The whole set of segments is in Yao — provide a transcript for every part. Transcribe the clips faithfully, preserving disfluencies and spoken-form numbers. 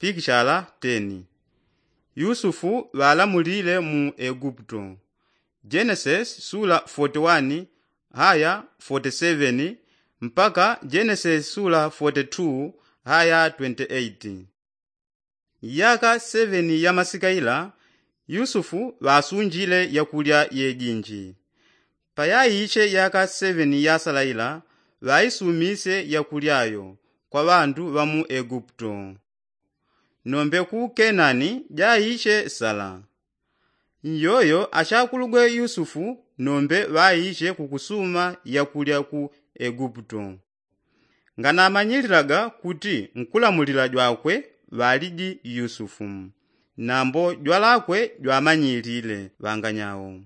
pikishala teni. Yusufu ŵalamulile mu eguputo. Jenesis sula foti wani haya foti seveni mpaka jenesis sula foti tu haya twenti eiti. Yaka seveni ya masika ila yusufu ŵasunjile yakulya yejinji. Payaiche yaka seveni yasala ila ŵaisumisye yakulya yo kwa ŵandu ŵa mu eguputo. Nombe ku kenani jaiche sala. Nyoyo achakulugwe yusufu nombe ŵaiche kukusuma yakulya ku eguputo. Nganamanyililaga kuti nkulamulila jwakwe ŵaliji yusufu. Nambo jwalakwe jwamanyilile ŵanganyao.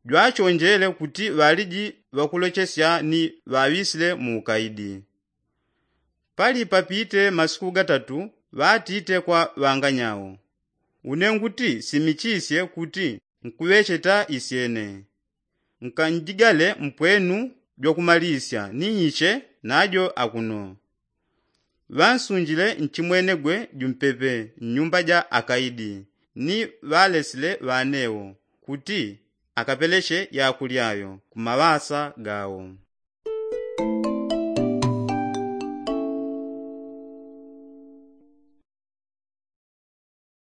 Jwachonjele kuti ŵaliji ŵakulochesya ni ŵaŵisile mu ukaidi. Pali papite masiku gatatu ŵatite kwa ŵanganyao, une nguti simichisye kuti nkuŵecheta isyene. Nkanjigale mpwenu jwakumalisya ni nyiche najo akuno. Ŵansunjile nchimwenegwe jumpepe nnyumba ja akaidi ni ŵalesile ŵanewo kuti akapeleche yakulya yo ku maŵasa gawo.